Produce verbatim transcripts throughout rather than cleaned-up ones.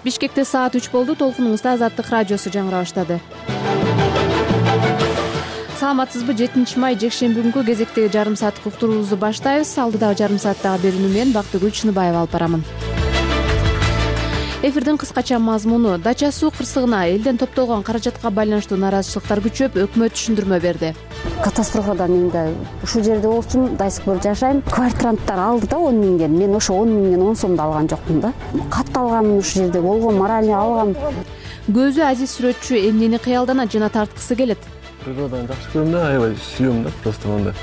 Бишкекте саат үч болду. Толкунуңузда Азаттык радиосу жаңыра баштады. Саламатсызбы? жетинчи май жекшемби күнкү кезектеги жарым сааттык уктуруубузду баштайбыз. Алдыдагы жарым сааттагы берүүнү мен Бактыгүл Чыныбаева алып барамын. Эфирдин кыскача мазмуну: Дача суу кырсыгына элден топтолгон каражатка байланыштуу нааразычылыктар күчөп, өкмөт түшүндүрмө берди. Катастрофадан менде ушул жерде болчумун, дайсыкбор жашайм. Квартиранттар алды да он миңден. Мен ошо он миңден он сомду алган жокмун да. Катталганмын ушул жерде, болгон моральный алгам. Көзү азиз сүрөтчү эмнени кыялданат жана тарткысы келет? Природаны жакшы көрөм да, аябай сүйөм да, просто мындай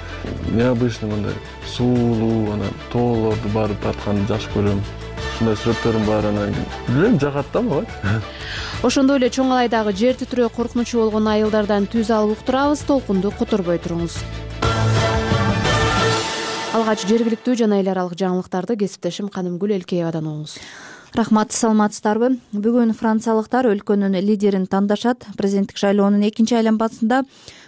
необычный мындай суулуу, анан тоолорду барып тартканды жакшы көрөм. Ушундай сүрөттөрүм бар, анан билбейм, жагат да мага. Ошондой эле чоң алайдагы жер титирөө коркунучу болгон айылдардан түз алып уктурабыз. Толкунду которбой туруңуз. Алгач жергиликтүү жана эл аралык жаңылыктарды кесиптешим Канымгүл Элкеевадан угуңуз. Рахмат, саламатсыздарбы? Бүгүн франциялыктар өлкөнүн лидерин тандашат. Президенттик шайлоонун экинчи айланмасында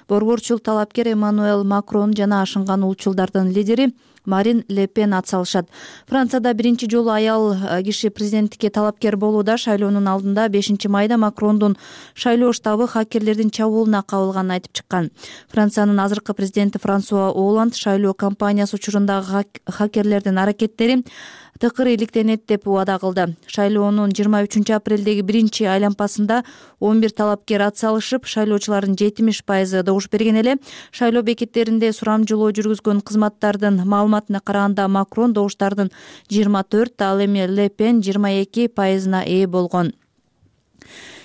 борборчул талапкер Эммануэль Макрон жана ашынган улчулдардын лидери Марин Ле Пен атсалышат. Францияда биринчи жолу аял киши президенттикке талапкер болууда. Шайлоонун алдында бешинчи майда Макрондун шайлоо штабы хакерлердин чабуулуна кабылганын айтып чыккан. Франциянын азыркы президенти Франсуа Олланд шайлоо кампаниясы учурундагы хакерлердин аракеттери тыкыр иликтенет деп убада кылды. Шайлоонун жыйырма үчүнчү апрелдеги биринчи айланмасында он бир талапкер атсалышып, шайлоочулардын жетимиш пайызы добуш берген эле. Шайлоо бекеттеринде сурамжылоо жүргүзгөн кызматтардын маалыматына караганда Макрон добуштардын жыйырма төрт, ал эми Ле Пен жыйырма эки пайызына ээ болгон.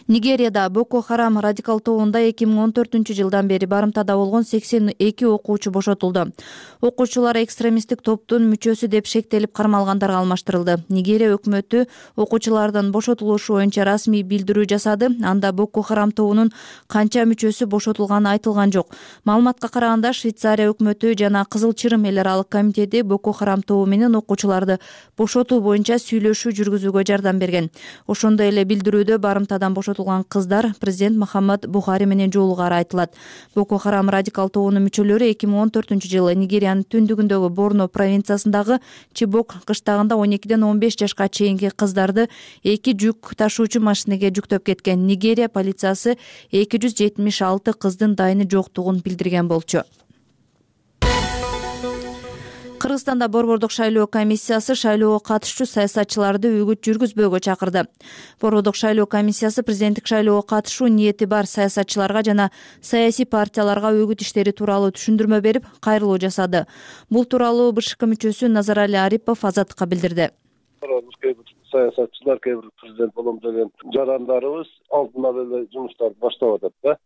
Нигерияда Боко Харам радикал тобунда эки миң он төртүнчү жылдан бери барымтада болгон сексен эки окуучу бошотулду. Окуучулар экстремисттик топтун мүчөсү деп шектелип кармалгандарга алмаштырылды. Нигерия өкмөтү окуучулардын бошотулушу боюнча расмий билдирүү жасады. Анда Боко Харам тобунун канча мүчөсү бошотулганы айтылган жок. Маалыматка караганда Швейцария өкмөтү жана Кызыл Чырым эл аралык комитети Боко Харам тобу менен окуучуларды бошотуу боюнча сүйлөшүү жүргүзүүгө жардам берген. Ошондой эле билдирүүдө барымтадан бошотулган кыздар президент Мухаммад Бухари менен жолугары айтылат. Боко Харам радикал тобунун мүчөлөрү эки миң он төртүнчү жылы Нигериянын түндүгүндөгү Борно провинциясындагы Чибок кыштагында он экиден он беш жашка чейинки кыздарды эки жүк ташуучу машинеге жүктөп кеткен. Нигерия полициясы эки жүз жетимиш алты кыздын дайыны жоктугун билдирген болчу. Кыргызстанда борбордук шайлоо комиссиясы шайлоого катышчу саясатчыларды үгүт жүргүзбөөгө чакырды. Борбордук шайлоо комиссиясы президенттик шайлоого катышуу ниети бар саясатчыларга жана саясий партияларга үгүт иштери тууралуу түшүндүрмө берип, кайрылуу жасады. Бул тууралуу БШК мүчөсү Назарали Арипов Азаттыкка билдирди. Саясатчылар, кээ бир президент болом деген жарандарыбыз алдынан эле жумуштарды баштап атат да.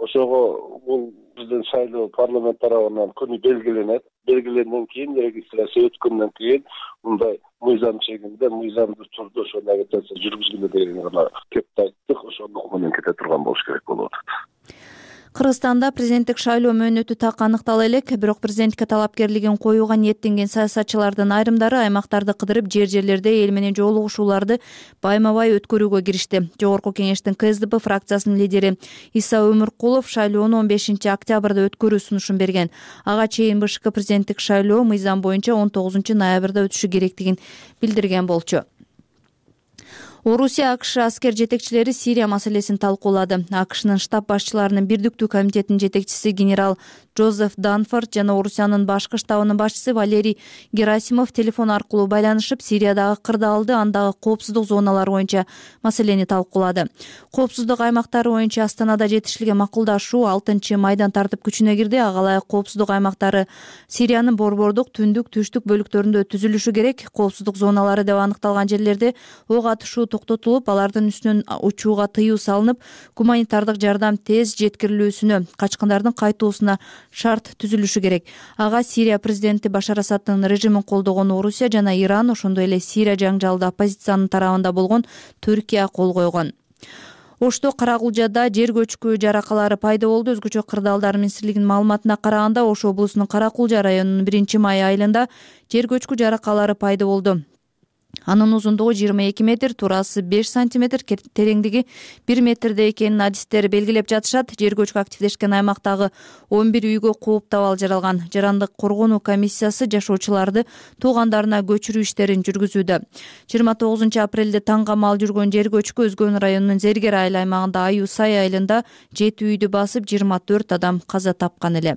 Ошого бул биздин шайлоо парламент тарабынан күнү белгиленет. Белгиленден кийин регистрация өткөндөн кийин мындай мыйзам чегинде, мыйзамдуу түрдө ошону агитация жүргүзгүлө деген гана кепти айттык. Ошону менен кете турган болуш керек болуп атат. Кыргызстанда президенттик шайлоо мөөнөтү так аныктала элек, бирок президенттикке талапкерлигин коюуга ниеттенген саясатчылардын айрымдары аймактарды кыдырып, жер-жерлерде эл менен жолугушууларды байма-бай өткөрүүгө киришти. Жогорку кеңештин КСДП фракциясынын лидери Иса Өмүркулов шайлоону он бешинчи октябрда өткөрүү сунушун берген. Ага чейин БШК президенттик шайлоо мыйзам боюнча он тогузунчу ноябрда өтүшү керектигин билдирген болчу. Орусия АКШ аскер жетекчилери Сирия маселесин талкуулады. АКШнын штаб башчыларынын бирдиктүү комитетинин жетекчиси генерал Джозеф Данфорд жана Орусиянын башкы штабынын башчысы Валерий Герасимов телефон аркылуу байланышып, Сириядагы кырдаалды, андагы коопсуздук зоналары боюнча маселени талкуулады. Коопсуздук аймактары боюнча Астанада жетишилген макулдашуу алтынчы майдан тартып күчүнө кирди. Ага ылайык коопсуздук аймактары Сириянын борбордук, түндүк, түштүк бөлүктөрүндө түзүлүшү керек. Коопсуздук зоналары деп аныкталган жерлерде ок атышуу токтотулуп, алардын үстүнөн учууга тыюу салынып, гуманитардык жардам тез жеткирилүүсүнө, качкындардын кайтуусуна шарт түзүлүшү керек. Ага Сирия президенти Башар Асадтын режимин колдогон Орусия жана Иран, ошондой эле Сирия жаңжалды оппозициянын тарабында болгон Түркия кол койгон. Ошто Каракулжада жер көчкү жаракалары пайда болду. Өзгөчө кырдаалдар министрлигинин маалыматына караганда, Ош облусунун Каракулжа районунун биринчи май айылында жер көчкү жаракалары пайда болду. Анын узундугу жыйырма эки метр, туурасы беш сантиметр, тереңдиги бир метрде экенин адистер белгилеп жатышат. Жер көчкү активдешкен аймактагы он бир үйгө кууп абал жаралган. Жарандык коргонуу комиссиясы жашоочуларды туугандарына көчүрүү иштерин жүргүзүүдө. жыйырма тогузунчу апрелде таң камал жүргөн жер көчкү Өзгөн районунун Зергер айыл аймагында Аю Сай айылында жети үйдү басып, жыйырма төрт адам каза тапкан эле.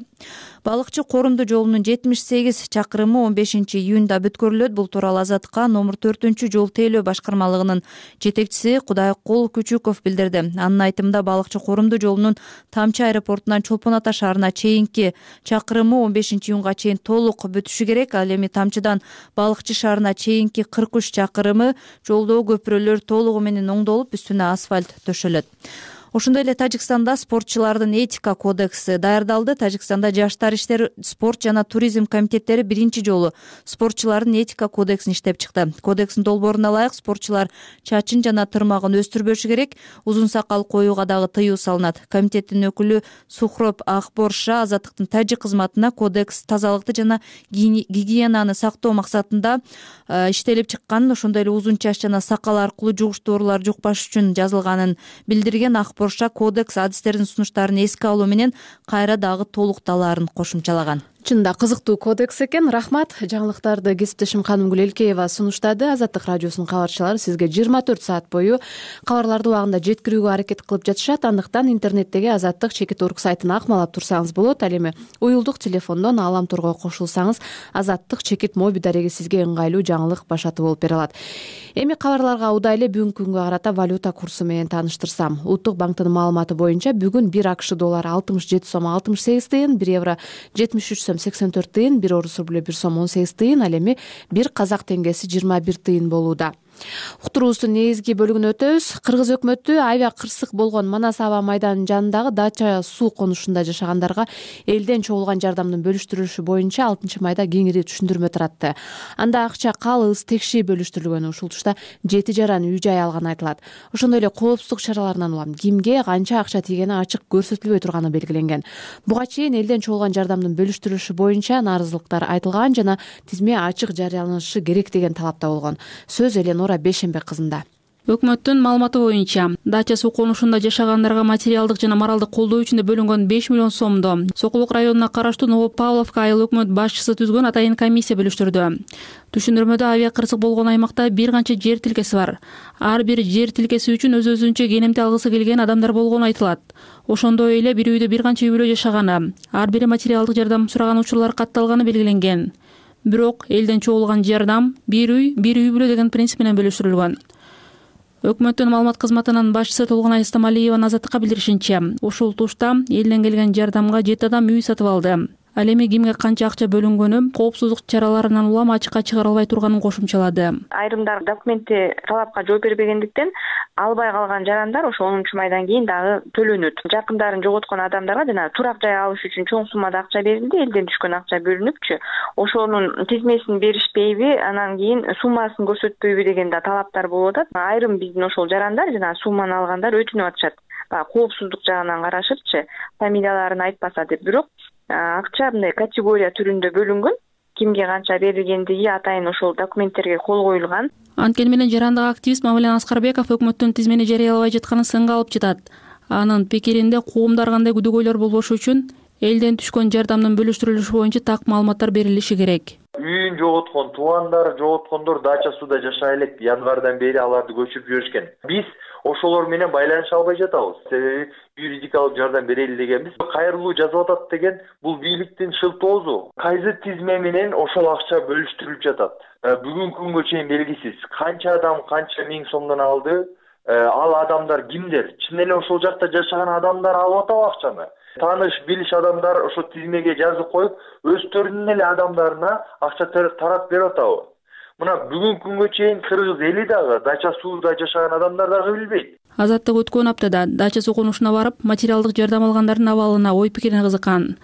Балыкчы Корунду жолунун жетимиш сегиз чакырымы он бешинчи июнда бүткөрүлөт. Бул тууралуу Азаттыкка номер төртүнчү жол тейлөө башкармалыгынын жетекчиси Кудайкул Күчүков билдирди. Анын айтымында Балыкчы Корунду жолунун Тамчы аэропортунан Чолпон Ата шаарына чейинки чакырымы он бешинчи июнга чейин толук бүтүшү керек. Ал эми Тамчыдан Балыкчы шаарына чейинки кырк үч чакырымы жолдогу көпүрөлөр толугу менен оңдолуп, үстүнө асфальт төшөлөт. Ошондой эле Тажикстанда спортчулардын этика кодекси даярдалды. Тажикстанда жаштар иштери, спорт жана туризм комитеттери биринчи жолу спортчулардын этика кодексин иштеп чыкты. Кодекстин долбооруна ылайык спортчулар чачын жана тырмагын өстүрбөшү керек, узун сакал коюуга дагы тыюу салынат. Комитеттин өкүлү Сухроп Акборша Азаттыктын тажик кызматына кодекс тазалыкты жана гигиенаны сактоо максатында иштелип чыкканын, ошондой эле узун чач жана сакал аркылуу жугуштуу оорулар жукпаш үчүн жазылганын билдирген. Акбор кодекс адистердин сунуштарын эске алуу менен кайра дагы толукталаарын кошумчалаган. Чында кызыктуу кодекс экен. Рахмат. Жаңылыктарды кесиптешим Канымгүл Элкеева сунуштады. Азаттык радиосунун кабарчылары сизге жыйырма төрт саат бою кабарларды убагында жеткирүүгө аракет кылып жатышат. Андыктан интернеттеги Азаттык чекит орг сайтын акмалап турсаңыз болот. Ал эми уюлдук телефондон Аламторго кошулсаңыз Азаттык чекит моби дареги сизге ыңгайлуу жаңылык башаты болуп бере алат. Эми кабарларга удай эле бүгүнкү күнгө карата валюта курсу менен тааныштырсам. Улуттук банктын маалыматы боюнча бүгүн бир АКШ доллары алтымыш жети сом алтымыш сегиз тыйын, бир евро жетимиш үч сом сексен төрт тыйын, бир орус рублю бир сом он сегиз тыйын, ал эми бир казак теңгеси жыйырма бир тыйын болууда. Уктуруубуздун негизги бөлүгүнө өтөбүз. Кыргыз өкмөтү авиа кырсык болгон Манас аба майданынын жанындагы Дача суу конушунда жашагандарга элден чогулган жардамдын бөлүштүрүлүшү боюнча алтынчы майда кеңири түшүндүрмө таратты. Анда акча калыс текши бөлүштүрүлгөн. Ушул тушта жети жаран үй жай алганы айтылат. Ошондой эле коопсуздук чараларынан улам кимге канча акча тийгени ачык көрсөтүлбөй турганы белгиленген. Буга чейин элден чогулган жардамдын бөлүштүрүлүшү боюнча нааразылыктар айтылган жана тизме ачык жарыяланышы керек деген талапта болгон. Сөз Эленора Бешембек кызында. Өкмөттүн маалыматы боюнча Дача суу конушунда жашагандарга материалдык жана моралдык колдоо үчүн бөлүнгөн беш миллион сомду Сокулук районуна караштуу Новопавловка айыл өкмөт башчысы түзгөн атайын комиссия бөлүштүрдү. Түшүндүрмөдө авиа кырсык болгон аймакта бир канча жер тилкеси бар. Ар бир жер тилкеси үчүн өз-өзүнчө кенемти алгысы келген адамдар болгону айтылат. Ошондой эле бир үйдө бир канча үй бүлө жашаганы, ар бири материалдык жардам сураган учурлар катталганы белгиленген. Бирок элден чогулган жардам бир үй, бир үй бүлө деген принцип менен бөлүштүрүлгөн. Өкмөттүн маалымат кызматынын башчысы Толгонай Стамалиеванын Азаттыкка билдиришинче, ушул тушта элден келген жардамга жети адам үй сатып алды. Ал эми кимге канча акча бөлүнгөнү коопсуздук чараларынан улам ачыкка чыгара албай турганын кошумчалады. Айрымдар документти талапка жооп бербегендиктен албай калган жарандар ошо онунчу майдан кийин дагы төлөнөт. Жакындарын жоготкон адамдарга жана турак жай алыш үчүн чоң суммада акча берилди, элден түшкөн акча бөлүнүпчү. Ошонун тизмесин беришпейби, анан кийин суммасын көрсөтпөйбү деген да талаптар болуп атат. Айрым биздин ошол жарандар жана сумманы алгандар өтүнүп атышат. Коопсуздук жагынан карашыпчы, фамилияларын айтпаса деп. Бирок акча мындай категория түрүндө бөлүнгөн. Кимге канча берилгендиги атайын ошол документтерге кол коюлган. Анткени менен жарандык активист Мамилен Аскарбеков өкмөттүн тизмени жарыялабай жатканын сынга алып жатат. Анын пикиринде коомдар кандай күдөгөйлөр болбошу үчүн элден түшкөн жардамдын бөлүштүрүлүшү боюнча так маалыматтар берилиши керек. Үйүн жоготкон, туугандары жоготкондор Дача сууда жашай элек. Январдан бери аларды көчүрүп жиберишкен. Биз ошолор менен байланыша албай жатабыз. Себеби юридикалык жардам берели дегенбиз. Кайрылуу жазып атат деген бул бийликтин шылтоозу. Кайсы тизме менен ошол акча бөлүштүрүлүп жатат. Бүгүнкү күнгө чейин белгисиз. Канча адам канча миң сомдон алды? Ал адамдар кимдер? Чын эле ошол жакта жашаган адамдар алып атабы акчаны? Тааныш билиш адамдар ошо тизмеге жазып коюп, өздөрүнүн эле адамдарына акча тарап берип атабы? Мына бүгүнкү күнгө чейин кыргыз эли дагы Дача сууда жашаган адамдар дагы билбейт. Азаттык өткөн аптада Дача суу конушуна барып, материалдык жардам алгандардын абалына ой пикирине кызыккан.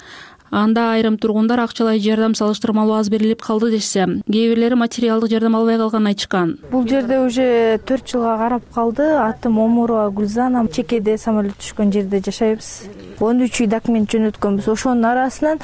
Анда айрым тургундар акчалай жардам салыштырмалуу аз берилип калды дешсе, кээ бирлери материалдык жардам албай калганын айтышкан. Бул жерде уже төрт жылга карап калды. Атым Омурова Гүлзана. Чекеде самолет түшкөн жерде жашайбыз. он үч үй документ жөнөткөнбүз. Ошонун арасынан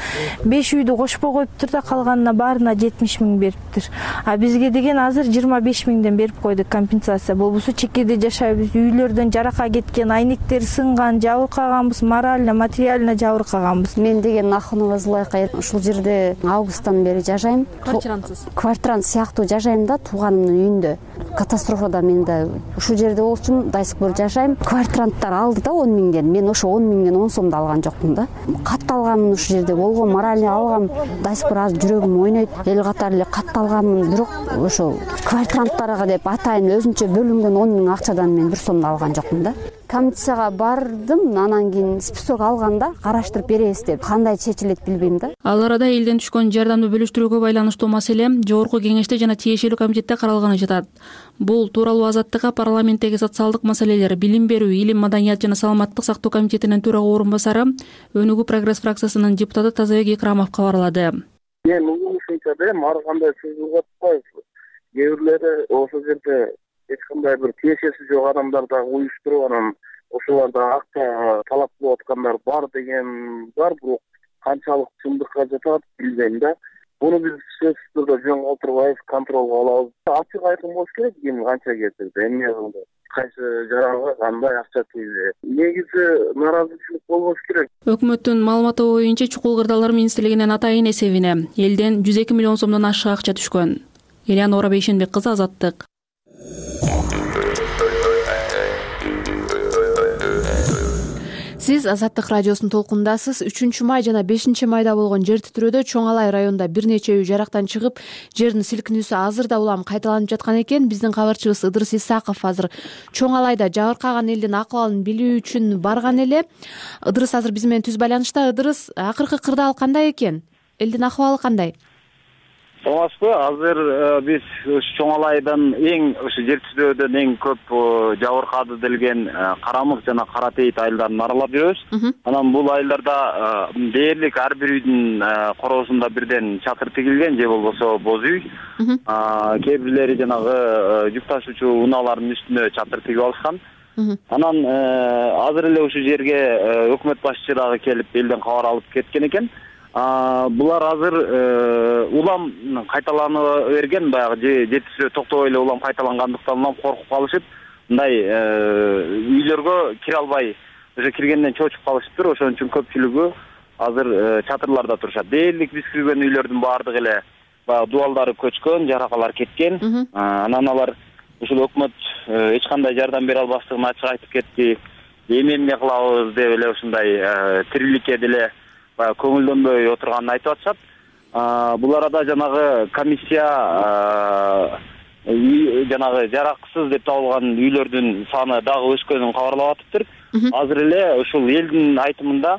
беш үйдү кошпой коюптур да, калганына баарына жетимиш миң бериптир. А бизге деген азыр жыйырма беш миңден берип койдук компенсация. Болбосо чекеде жашайбыз. Үйлөрдөн жарака кеткен, айнектер сынган, жабыркаганбыз, морально, материально жабыркаганбыз. Мен деген Ахунова Зулайка ушул жерде августтан бери жашайм. Квартирансыз? Квартирант сыяктуу жашайм да, тууганымдын үйүндө. Катастрофада мен да ушул жерде болчумун, до сих пор жашайм. Квартиранттар алды да он миңден. Мен ошо он миңден он сомду алган жокмун да. Катталганмын ушул жерде, болгон морально алгам. До сих пор азыр жүрөгүм ойнойт. Эл катары эле катталганмын, бирок ошо квартиранттарга деп атайын өзүнчө бөлүнгөн он миң акчадан мен бир сомду алган жокмун да. Комиссияга бардым, анан кийин список алганда караштырып беребиз деп. Кандай чечилет билбейм да. Ал арада элден түшкөн жардамды бөлүштүрүүгө байланыштуу маселе жогорку кеңеште жана тиешелүү комитетте каралганы жатат. Бул тууралуу Азаттыкка парламенттеги социалдык маселелер, билим берүү, илим, маданият жана саламаттык сактоо комитетинин төрага орун басары, Өнүгүү прогресс фракциясынын депутаты Тазабек Икрамов кабарлады. Мен угушумча да ар кандай сөз атпайбыз. Кээ бирлери ошол жерде эч кандай бир тиешеси жок адамдар дагы уюштуруп, анан ошолордо акча талап кылып аткандар бар деген бар, бирок канчалык чындыкка жатат билбейм да. Буну биз сөзсүз түрдө жөн калтырбайбыз, контролго алабыз. Ачык айкын болуш керек, ким канча кетирди, эмне кылды, кайсы жаранга кандай акча тийди. Негизи нааразычылык болбош керек. Өкмөттүн маалыматы боюнча Чукул Кырдаалдар министрлигинин атайын эсебине элден жүз эки миллион сомдон ашык акча түшкөн. Элянора Бейшенбек кызы, Азаттык. Сиз Азаттык радиосунун толкундасыз. үчүнчү май жана бешинчи майда болгон жер титирөөдө Чоң Алай районунда бир нече үй жарактан чыгып, жердин силкинүүсү азыр да улам кайталанып жаткан экен. Биздин кабарчыбыз Ыдырыс Исаков азыр Чоң Алайда жабыркаган элдин акыбалын билүү үчүн барган эле. Ыдырыс азыр биз менен түз байланышта. Ыдырыс, акыркы кырдаал кандай экен? Элдин акыбалы кандай? Саламатсызбы? Азыр биз Чоң Алайдан эң ушу жер титирөөдөн эң көп жабыркады делген Карамык жана Кара Тейит айылдарын аралап жүрөбүз. Анан бул айылдарда дээрлик ар бир үйдүн короосунда бирден чатыр тигилген, же болбосо боз үй. Кээ бирлери жанагы жүк ташуучу унаалардын үстүнө чатыр тигип алышкан. Анан азыр эле ушул жерге өкмөт башчысы дагы келип элден кабар алып кеткен экен. Булар азыр улам кайталана берген, баягы жер титирөө токтобой эле улам кайталангандыктан улам коркуп калышып, мындай үйлөргө кире албай, уже киргенден чочуп калышыптыр. Ошон үчүн көпчүлүгү азыр чатырларда турушат. Дээрлик биз кирген үйлөрдүн баардыгы эле баягы дубалдары көчкөн, жаракалар кеткен. Анан алар ушул өкмөт эч кандай жардам бере албастыгын ачык айтып кетти. Эми эмне кылабыз деп эле ушундай тириликке деле көңүлдөнбөй отурганын айтып атышат. Бул арада жанагы комиссия жанагы жараксыз деп табылган үйлөрдүн саны дагы өскөнүн кабарлап атыптыр. Азыр эле ушул элдин айтымында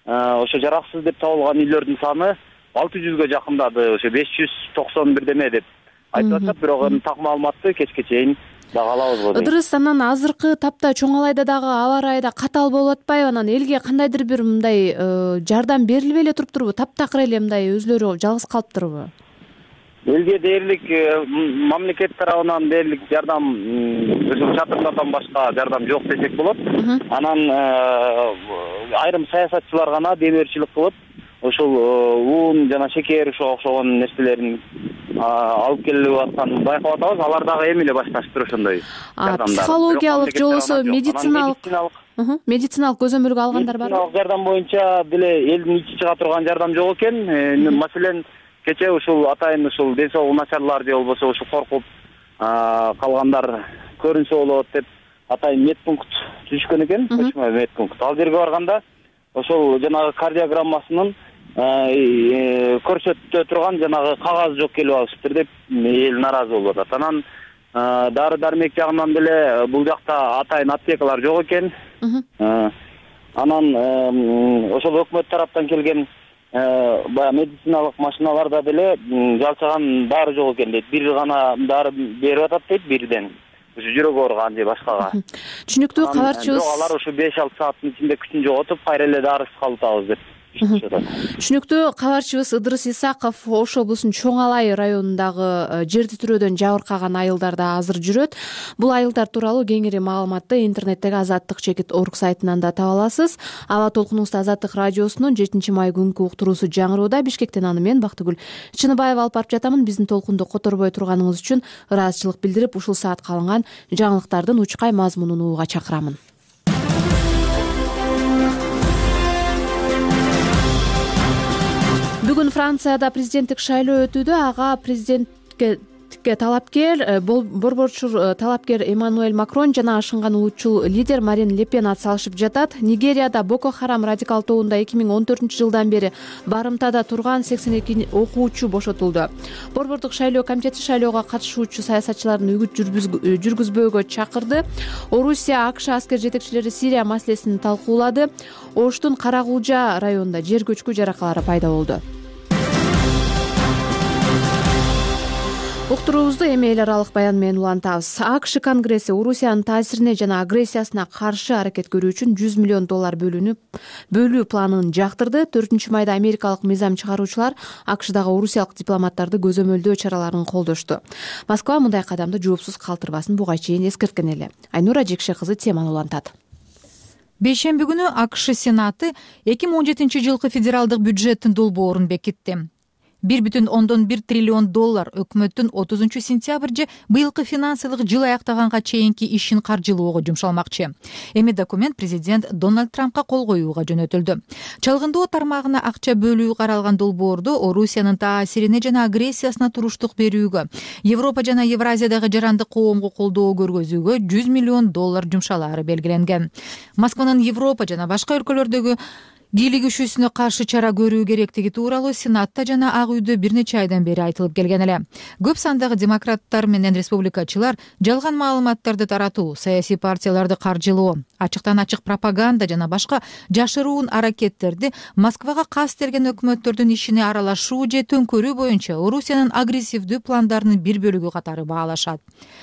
ошо жараксыз деп табылган үйлөрдүн саны алты жүзгө жакындады, ошо беш жүз токсон бир деме деп айтып атышат. Бирок так маалыматты кечке чейин дагы алабыз. Ыдырыс, анан азыркы тапта Чоң Алайда дагы аба ырайы да катаал болуп атпайбы? Анан элге кандайдыр бир мындай жардам берилбей эле туруптурбу? Таптакыр эле мындай өзлөрү жалгыз калыптырбы? Элге дээрлик мамлекет тарабынан дээрлик жардам, ошол чатырлардан башка жардам жок десек болот. Анан айрым саясатчылар гана демөөрчүлүк кылып, ошол уун жана шекер ошого окшогон нерселерин алып келип атканын байкап атабыз. Алар дагы эми эле башташыптыр ошондой жардамдар. Психологиялык же болбосо медициналык медициналык көзөмөлгө алгандар барбы? Медициналык жардам боюнча деле элдин ичи чыга турган жардам жок экен. Маселен, кече ушул атайын ушул ден соолугу начарлар же болбосо ушу коркуп калгандар көрүнсө болот деп атайын медпункт түзүшкөн экен, көчмө медпункт. Ал жерге барганда ошол жанагы кардиограммасынын көрсөтө турган жанагы кагаз жок келип алышыптыр деп эл нааразы болуп атат. Анан дары дармек жагынан деле бул жакта атайын аптекалар жок экен. Анан ошол өкмөт тараптан келген баягы медициналык машиналарда деле жалчаган дары жок экен дейт. Бир гана дары берип атат дейт, бирден. Ушу жүрөк ооруган же башкага. Түшүнүктүү, кабарчыбыз. Алар ушу беш алты сааттын ичинде күчүн жоготуп, кайра эле дарысыз калып атабыз деп иштешип жатат. Түшүнүктүү. Кабарчыбыз Ыдырыс Исаков Ош облусунун Чоң Алай районундагы жер титирөөдөн жабыркаган айылдарда азыр жүрөт. Бул айылдар тууралуу кеңири маалыматты интернеттеги Азаттык чекит орг сайтынан да таба аласыз. Аба толкунубузда Азаттык радиосунун жетинчи май күнкү уктуруусу жаңыроодо. Бишкектен аны мен Бактыгүл Чыныбаева алып барып жатамын. Биздин толкунду которбой турганыңыз үчүн ыраазычылык билдирип, ушул саатка алынган жаңылыктардын учкай мазмунун угууга чакырамын. Бүгүн Францияда президенттик шайлоо өтүүдө. Ага президентке талапкер борборчур талапкер Эммануэль Макрон жана ашынган улутчул лидер Марин Ле Пен атсалышып жатат. Нигерияда Боко Харам радикал тобунда эки миң он төртүнчү жылдан бери барымтада турган сексен эки окуучу бошотулду. Борбордук шайлоо комитети шайлоого катышуучу саясатчылардын үгүт жүргүзбөөгө чакырды. Орусия, АКШ аскер жетекчилери Сирия маселесин талкуулады. Оштун Карагулжа районунда жер көчкү жаракалары пайда болду. Уктуруубузду эми эл аралык баян менен улантабыз. АКШ Конгресси Орусиянын таасирине жана агрессиясына каршы аракет көрүү үчүн жүз миллион доллар бөлүүнү бөлүү планын жактырды. төртүнчү майда америкалык мыйзам чыгаруучулар АКШдагы орусиялык дипломаттарды көзөмөлдөө чараларын колдошту. Москва мындай кадамды жоопсуз калтырбасын буга чейин эскерткен эле. Айнура Жекше кызы теманы улантат. Бейшемби күнү АКШ Сенаты эки миң он жетинчи жылкы федералдык бюджеттин долбоорун бекитти. бир бүтүн ондон бир триллион доллар өкмөттүн отузунчу сентябрь быйылкы финансылык жыл аяктаганга чейинки ишин каржылоого жумшалмакчы. Эми документ президент Дональд Трампка кол коюуга жөнөтүлдү. Чалгындоо тармагына акча бөлүү каралган долбоордо Орусиянын таасирине жана агрессиясына туруштук берүүгө, Европа жана Евразиядагы жарандык коомго колдоо көргөзүүгө жүз миллион доллар жумшалаары белгиленген. Москванын Европа жана башка өлкөлөрдөгү бийлик күчүсүнө каршы чара көрүү керектиги тууралуу Сенатта жана Ак үйдө бир нече айдан бери айтылып келген эле. Көп сандагы демократтар менен республикачылар жалган маалыматтарды таратуу, саясий партияларды каржылоо, ачыктан ачык пропаганда жана башка жашыруун аракеттерди Москвага кастелген өкмөттөрдүн ишине аралашуу же төңкөрүү боюнча Орусиянын агрессивдүү пландарынын бир бөлүгү катары баалашат.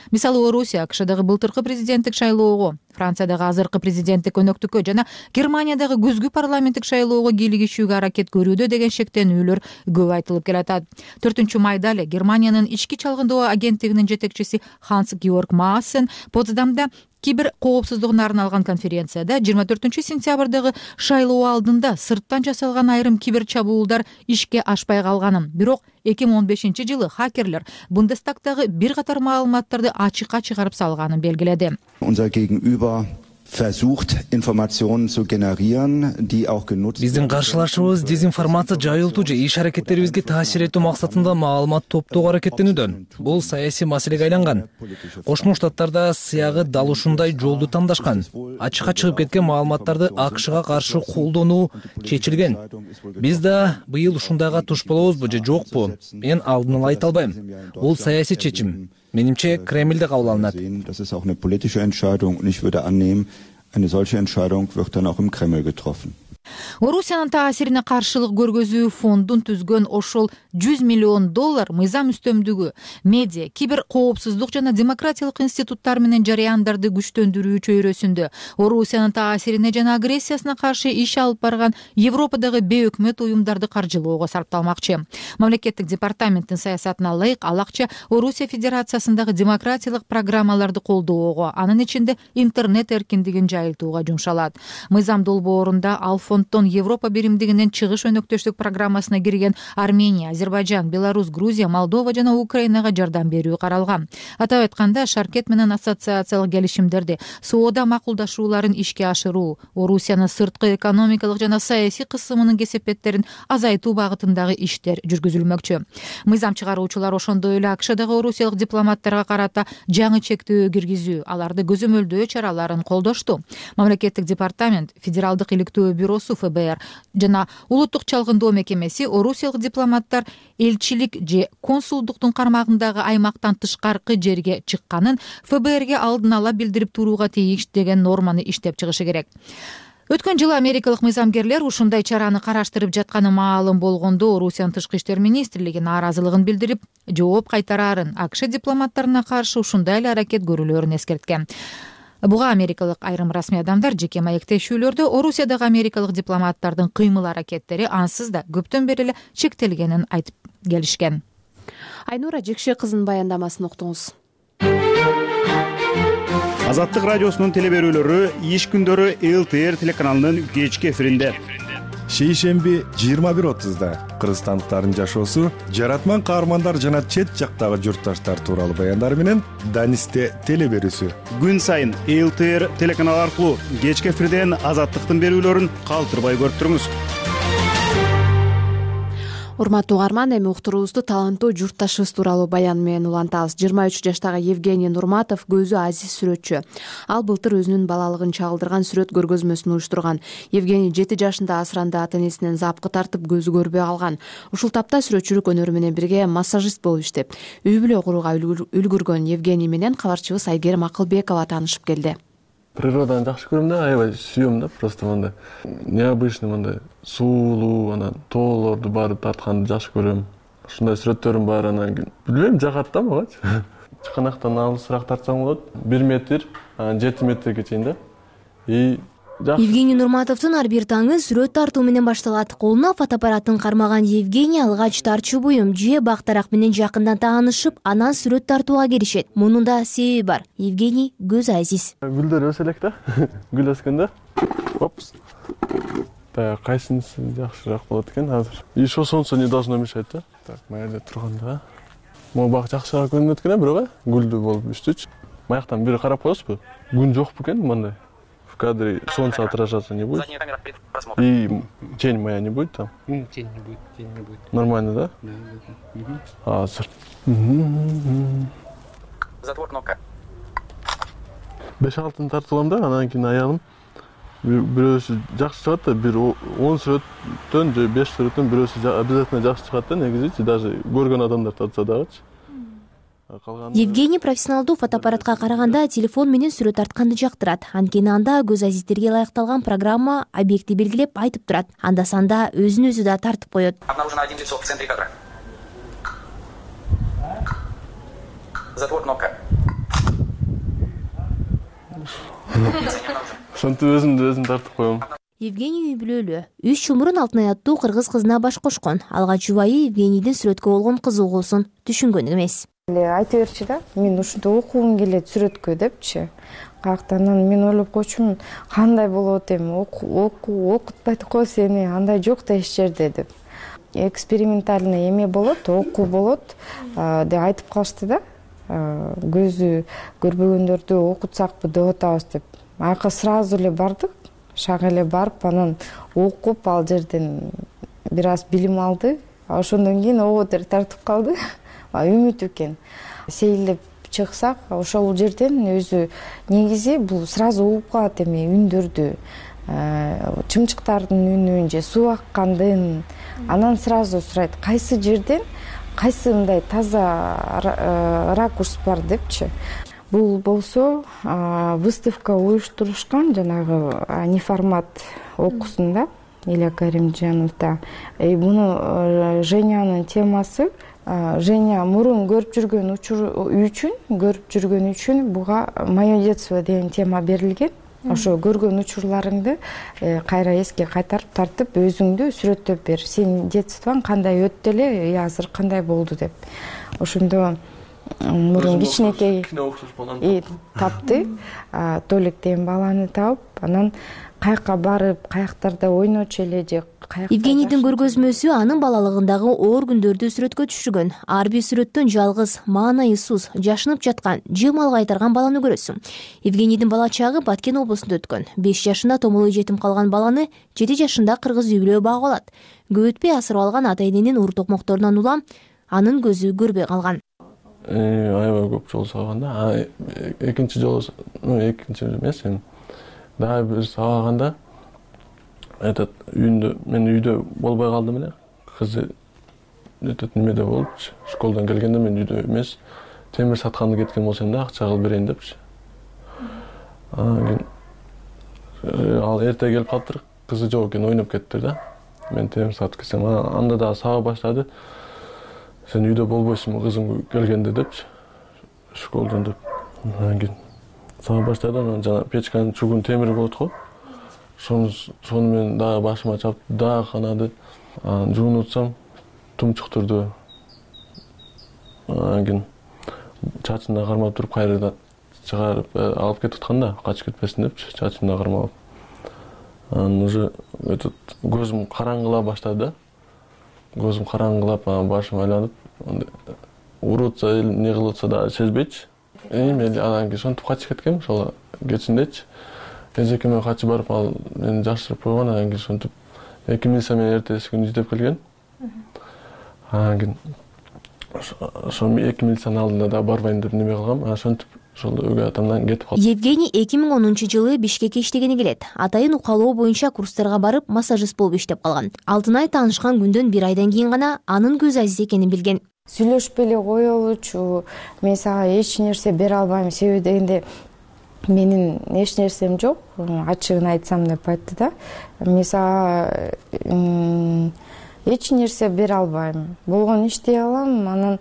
Мисалы, Орусия АКШдагы былтыркы президенттик шайлоого, Франциядагы азыркы президенттик өнөктүккө жана Германиядагы күзгү парламенттик шайлоого кийлигишүүгө аракет көрүүдө деген шектенүүлөр көп айтылып келатат. төртүнчү майда эле Германиянын ички чалгындоо агенттигинин жетекчиси Ханс Георг Maassen Потсдамда кибер коопсуздугуна арналган конференцияда жыйырма төртүнчү сентябрдагы шайлоо алдында сырттан жасалган айрым кибер чабуулдар ишке ашпай калганын, бирок эки миң он бешинчи жылы хакерлер Бундестагдагы бир катар маалыматтарды ачыкка чыгарып салганын белгиледи. Биздин каршылашыбыз дезинформация жайылтуу же иш аракеттерибизге таасир этүү максатында маалымат топтоого аракеттенүүдө. Бул саясий маселеге айланган. Кошмо Штаттарда сыягы дал ушундай жолду тандашкан. Ачыкка чыгып кеткен маалыматтарды АКШга каршы колдонуу чечилген. Биз да быйыл ушундайга туш болобузбу же жокпу? Мен алдын ала айта албайм. Бул саясий чечим. Менимче Кремлде кабыл алынат. Eine solche Entscheidung wird dann auch im Kreml getroffen. Орусиянын таасирине каршылык көргөзүү фондун түзгөн ошол жүз миллион доллар мыйзам үстөмдүгү, медиа, кибер коопсуздук жана демократиялык институттар менен жарыяндарды күчтөндүрүү чөйрөсүндө Орусиянын таасирине жана агрессиясына каршы иш алып барган Европадагы бейөкмөт уюмдарды каржылоого сарпталмакчы. Мамлекеттик департаменттин саясатына ылайык ал акча Орусия Федерациясындагы демократиялык программаларды колдоого, анын ичинде интернет эркиндигин жайылтууга жумшалат. Мыйзам долбоорунда ал фонддон Европа биримдигинин чыгыш өнөктөштүк программасына кирген Армения, Азербайжан, Беларусь, Грузия, Молдова жана Украинага жардам берүү каралган. Атап айтканда, шаркет менен ассоциациялык келишимдерди, соода макулдашууларын ишке ашыруу, Орусиянын сырткы экономикалык жана саясий кысымынын кесепеттерин азайтуу багытындагы иштер жүргүзүлмөкчү. Мыйзам чыгаруучулар ошондой эле АКШдагы орусиялык дипломаттарга карата жаңы чектөө киргизүү, аларды көзөмөлдөө чараларын колдошту. Мамлекеттик департамент, Федералдык иликтөө бюросу ФБР жана улуттук чалгындоо мекемеси орусиялык дипломаттар элчилик же консулдуктун кармагындагы аймактан тышкаркы жерге чыкканын ФБРге алдын ала билдирип турууга тийиш деген норманы иштеп чыгышы керек. Өткөн жылы америкалык мыйзамгерлер ушундай чараны караштырып жатканы маалым болгондо Орусиянын тышкы иштер министрлиги нааразылыгын билдирип, жооп кайтарарын, АКШ дипломаттарына каршы ушундай эле аракет көрүүлөрүн эскерткен. Буга америкалык айрым расмий адамдар жеке маектешүүлөрдө Орусиядагы америкалык дипломаттардын кыймыл аракеттери ансыз да көптөн бери эле чектелгенин айтып келишкен. Айнура Жекше кызынын баяндамасын уктуңуз. Азаттык радиосунун телеберүүлөрү иш күндөрү эл тэ эр телеканалынын кечки эфиринде. Шейшемби жыйырма бир отузда кыргызстандыктардын жашоосу, жаратман каармандар жана чет жактагы журтташтар тууралуу баяндар менен Данисте телеберүүсү. Күн сайын эл тэ эр телеканалы аркылуу кечки эфирден Азаттыктын берүүлөрүн калтырбай көрүп туруңуз. Урматтуу угарман, эми уктуруубузду таланттуу журтташыбыз тууралуу баян менен улантабыз. жыйырма үч жаштагы Евгений Нурматов көзү азиз сүрөтчү. Ал былтыр өзүнүн балалыгын чагылдырган сүрөт көргөзмөсүн уюштурган. Евгений жети жашында асыранды ата-энесинен запкы тартып көзү көрбөй калган. Ушул тапта сүрөтчүлүк өнөрү менен бирге массажист болуп иштеп, үй бүлө курууга үлгүргөн Евгений менен кабарчыбыз Айгерим Акылбекова таанышып келди. Природаны жакшы көрөм да, аябай сүйөм да, просто мындай необычный мындай суулуу, анан тоолорду барып тартканды жакшы көрөм. Ушундай сүрөттөрүм бар, анан билбейм, жагат да магачы. Чыканактан алысыраак тартсам болот, бир метр, анан жети метрге чейин да. И Евгений Нурматовдун ар бир таңы сүрөт тартуу менен башталат. Колуна фотоаппаратын кармаган Евгений алгач тарчу буюм же бактарак менен жакындан таанышып, анан сүрөт тартууга киришет. Мунун да себеби бар. Евгений көз азиз. Гүлдөр өсө элек да. Гүл өскөндө. Опс. Та кайсынысы жакшыраак болот экен азыр? И что солнце не должно мешать да. Так, маялда турганда. Могу бак жакшыраак көрүнөт экен, бирок гүлдүү болуп үстүчү. Маяктан бири карап коесузбу? Күн жокпу экен мындай. В кадре солнце отражаться не будет. И тень моя не будет там? Тень не будет, тень не будет. Нормально, да? Да, да. А, затвор кнопка. беш алтын тартылам да, анан кийин аялым бирөөсү жакшы чыгат да, бир он сүрөттөн же беш сүрөттөн бирөөсү обязательно жакшы чыгат да, негизичи даже көргөн адамдар тартса дагычы. Евгений профессионалдуу фотоаппаратка караганда телефон менен сүрөт тартканды жактырат. Анткени анда көз азиздерге ылайыкталган программа объектти белгилеп айтып турат. Анда санда өзүн өзү да тартып коет. Обнаружено один лицо в центре кадра. Затвор кнопка. Сонтип өзүмдү өзүм тартып коем. Евгений үй бүлөлүү. Үч жыл мурун Алтынай аттуу кыргыз кызына баш кошкон. Алгач жубайы Евгенийдин сүрөткө болгон кызыгуусун түшүнгөн эмес. Айта берчи да, мен ушундай окугум келет сүрөткө депчи. Каяктан мен ойлоп койчумун, кандай болот эми, окутпайт го сени, андай жок да эч жерде деп. Экспериментальный эме болот, окуу болот деп айтып калышты да. Көзү көрбөгөндөрдү окутсакпы деп атабыз деп. Айка сразу эле бардык, шак эле барып, анан окуп ал жерден бир аз билим алды. Ошондон кийин ободер тартып калды. Үмүт экен. Сейилдеп чыксак, ошол жерден өзү негизи бул сразу угуп калат эми үндөрдү, чымчыктардын үнүн же суу аккандын. Анан сразу сурайт, кайсы жерден кайсы мындай таза ракурс бар депчи. Бул болсо выставка уюштурушкан, жанагы неформат окуусунда Илья Каримжановда. Муну Женянын темасы. Женя мурун көрүп жүргөн үчүн, көрүп жүргөн үчүн буга «Моё детство» деген тема берилген. Ошо көргөн учурларыңды кайра эске кайтарып тартып, өзүңдү сүрөттөп бер. Сенин детствоң кандай өттү эле, азыр кандай болду деп. Ошондо мурун кичинекей тапты, Толик деген баланы таап, анан каяка барып, каяктарда ойночу эле же Евгенийдин көргөзмөсү анын балалыгындагы оор күндөрдү сүрөткө түшүргөн. Ар бир сүрөттөн жалгыз, маанайсыз, жашынып жаткан, же мал кайтарган баланы көрөсүң. Евгенийдин бала чагы Баткен облусунда өткөн. беш жашында томолой жетим калган баланы жети жашында кыргыз үй бүлө багып алат. Көп өтпөй асырап алган ата-эненин ур токмокторунан улам анын көзү көрбөй калган. Аябай көп жол сабаганда, экинчи жолу, ну экинчи эмес эми. Дагы бир сабаганда этот үйүндө, мен үйдө болбой калдым эле. Кызы этот немеде болупчу. Школдан келгенде мен үйдө эмес, темир сатканды кеткен болсом да акча кылып берейин депчи. Анан ал эрте келип калыптыр. Кызы жок экен, ойноп кетиптир да. Мен темир сатып кетсем, анда дагы саба баштады. Сен үйдө болбойсуңбу кызым келгенде депчи. Школдан деп. Анан кийин сага баштады. Анан жана печканын чугун темир болот го. Сону сону менен дагы башыма чапты, дагы канады. Анан жуунуп атсам тумчуктурду. Анан кийин чачымда кармап туруп кайрадан чыгарып алып кетип аткан да, качып кетпесин депчи, чачымда кармап. Анан уже этот көзүм караңгылап баштады да. Көзүм караңгылап, анан башым айланып, уруп атса, эмне кылып атса да сезбейчи. Эми анан кийин сонтип качып кеткем, ошол кечиндечи. Эжекеме качып барып, ал мени жашырып койгон, анан кийин сонтип эки милиция менен эртеси күнү издеп келген. Анан кийин ошо эки милициянын алдында да барбайм деп неме кылгам. Анан ошентип ошол өгөй атамдан кетип калдым. Евгений эки миң онунчу жылы Бишкекке иштегени келет. Атайын укалоо боюнча курстарга барып, массажист болуп иштеп калган. Алтынай таанышкан күндөн бир айдан кийин гана анын көз азиз экенин билген. Сүйлөшпөй эле коелучу, мен сага эч нерсе бере албайм, себеби дегенде менин эч нерсем жок, ачыгын айтсам деп айтты да. Мен сага эч нерсе бере албайм. Болгон иштей алам, анан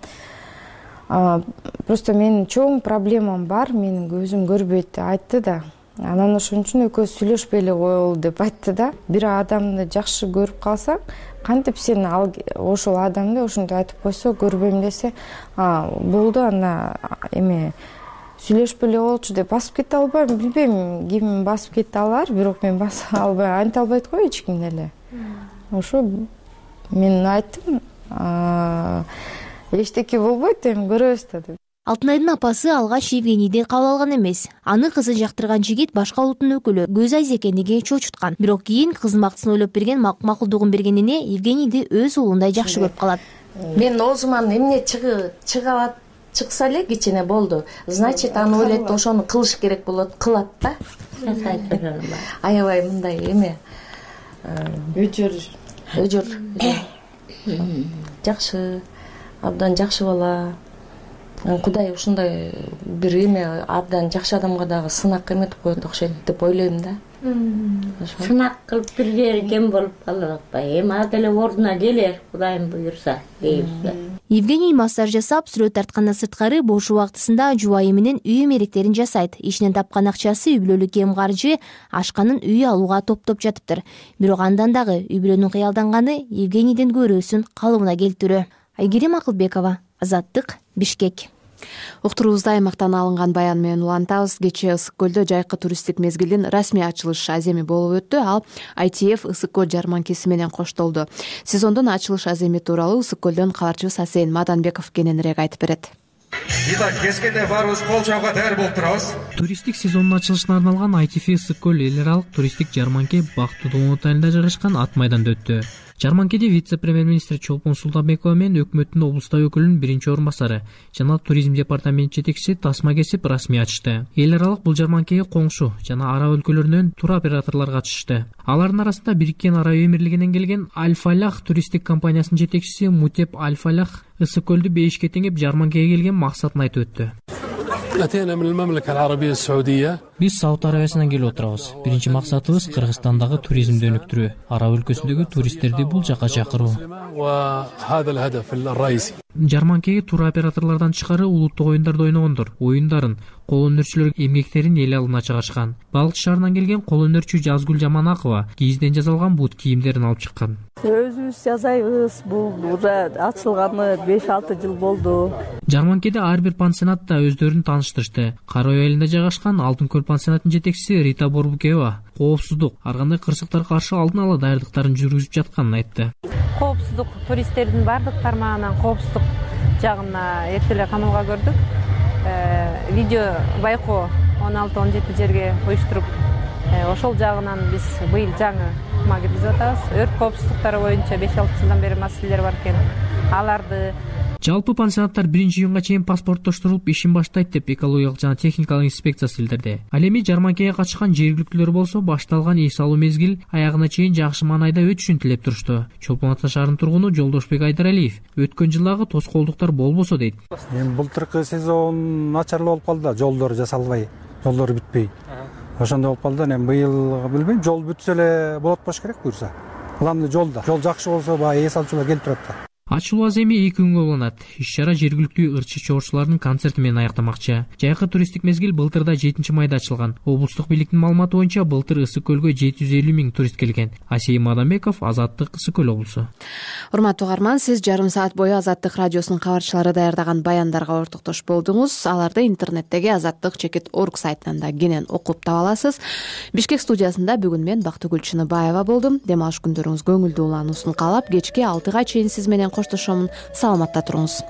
просто менин чоң проблемам бар, менин көзүм көрбөйт деп айтты да. Анан ошон үчүн экөөбүз сүйлөшпөй эле коелу деп айтты да. Бир адамды жакшы көрүп калсаң, кантип сен ал ошол адамды ошентип айтып койсо, көрбөйм десе, болду, анда эме сүйлөшпөй эле болчу деп басып кете албайм. Билбейм, ким басып кете алар, бирок мен басып албайм. Айта албайт го эч ким эле. Ошо мен айттым, эчтеке болбойт, эми көрөбүз да деп. Алтынайдын апасы алгач Евгенийди кабыл алган эмес. Аны кызы жактырган жигит башка улуттун өкүлү, көз айыз экендиги чочуткан. Бирок кийин кыздын бактысын ойлоп берген, макулдугун бергенине Евгенийди өз уулундай жакшы көрүп калат. Мен оозуман эмне чыга чыкса эле кичине болду. Значит, аны ойлойт, ошону кылыш керек болот, кылат да. Аябай мындай эме өжөр өжөр жакшы, абдан жакшы бала. Кудай ушундай бир эме абдан жакшы адамга дагы сынак эметип коет окшойт деп ойлойм да. Сынак кылып бир кем болуп калып атпайбы? Эми ал деле ордуна келер, Кудайым буйрса, дейбиз. Евгений массаж жасап, сүрөт тарткандан сырткары бош убактысында жубайы менен үй эмеректерин жасайт. Ишинен тапкан акчасы үй бүлөлүк кем каржы, ашканын үй алууга топтоп жатыптыр. Бирок андан дагы үй бүлөнүн кыялданганы Евгенийдин көрүүсүн калыбына келтирүү. Айгерим Акылбекова, Азаттык, Бишкек. Уктуруубузда аймактан алынган баян менен улантабыз. Кечээ Ысык көлдө жайкы туристтик мезгилдин расмий ачылыш аземи болуп өттү. Ал ай ти эф Ысык көл жарманкеси менен коштолду. Сезондун ачылыш аземи тууралуу Ысык көлдөн кабарчыбыз Асейин Маданбеков кененирээк айтып берет. Итак, кескенде баарыбыз кол чабууга даяр болуп турабыз. Туристтик сезондун ачылышына арналган ай ти эф Ысык көл эл аралык туристтик жарманке Бактыдуу айылында жайгашкан ат майданда өттү. Жарманкеде вице-премьер-министр Чолпон Султанбекова менен өкмөттүн облустук өкүлүнүн биринчи орун басары жана туризм департамент жетекчиси тасма кесип расмий ачышты. Эл аралык бул жарманкеге коңшу жана араб өлкөлөрүнөн туроператорлор катышты. Алардын арасында Бириккен Араб Эмирлигинен келген Аль-Фалях туристтик компаниясынын жетекчиси Мутеп Аль-Фалях Ысык көлдү бейишке теңеп жарманкеге келген максатын айтып өттү. Биз Сауд Арабиясынан келип отурабыз. Биринчи максатыбыз Кыргызстандагы туризмди өнүктүрүү, араб өлкөсүндөгү туристтерди бул жака чакыруу. Жарманкеге туроператорлордон тышкары улуттук оюндарды ойногондор оюндарын, кол өнөрчүлөр эмгектерин эл алдына чыгарышкан. Балык шаарынан келген кол өнөрчү Жазгүл Жаманакова кийизден жасалган бут кийимдерин алып чыккан. Өзүбүз жасайбыз, бул уже ачылганы беш алты жыл болду. Жарманкеде ар бир пансионатта өздөрүн тааныштырышты. Кара ой айылында жайгашкан Алтын көл пансионатынын жетекчиси Рита Борбукева коопсуздук, ар кандай кырсыктарга каршы алдын ала даярдыктарын жүргүзүп жатканын айтты. Коопсуздук туристтердин бардык тармагынан коопсуздук жагына эрте эле камалга көрдүк. Видео байкоо он алты он жети жерге уюштуруп, ошол жагынан биз быйыл жаңы ыкма киргизип атабыз. Өрт коопсуздуктары боюнча беш алты жылдан бери маселелер бар экен. Аларды Жалпы пансионаттар биринчи июнга чейин паспорттоштурулуп ишин баштайт деп экологиялык жана техникалык инспекциясы билдирди. Ал эми жарманкеге катышкан жергиликтүүлөр болсо башталган эс алуу мезгил аягына чейин жакшы маанайда өтүшүн тилеп турушту. Чолпон Ата шаарынын тургуну Жолдошбек Айдаралиев өткөн жылдагы тоскоолдуктар болбосо дейт. Эми былтыркы сезон начарлуу болуп калды да, жолдор жасалбай, жолдор бүтпөй. Ошондой болуп калды. Эми быйыл билбейм, жол бүтсө эле болот болуш керек буюрса. Главный жолда. Жол жакшы болсо баягы эс алуучулар келип турат да. ачылуу аз эми эки күнгө уланат. Иш чара жергиликтүү ырчы чоорчулардын концерти менен аяктамакчы. Жайкы туристтик мезгил былтырда жетинчи майда ачылган. Облустук бийликтин маалыматы боюнча былтыр Ысык көлгө жети жүз элүү миң турист келген. Асейим Адамбеков, Азаттык, Ысык көл облусу. Урматтуу угарман, сиз жарым саат бою Азаттык радиосунун кабарчылары даярдаган баяндарга ортоктош болдуңуз. Аларды интернеттеги азаттык чекит точка орг сайтынан да кенен окуп таба аласыз. Бишкек студиясында бүгүн мен Бактыгүл Чыныбаева болдум. Дем алыш күндөрүңүз көңүлдүү улануусун каалап, кечки алтыга чейин сиз менен коштошомун. Саламатта туруңуз.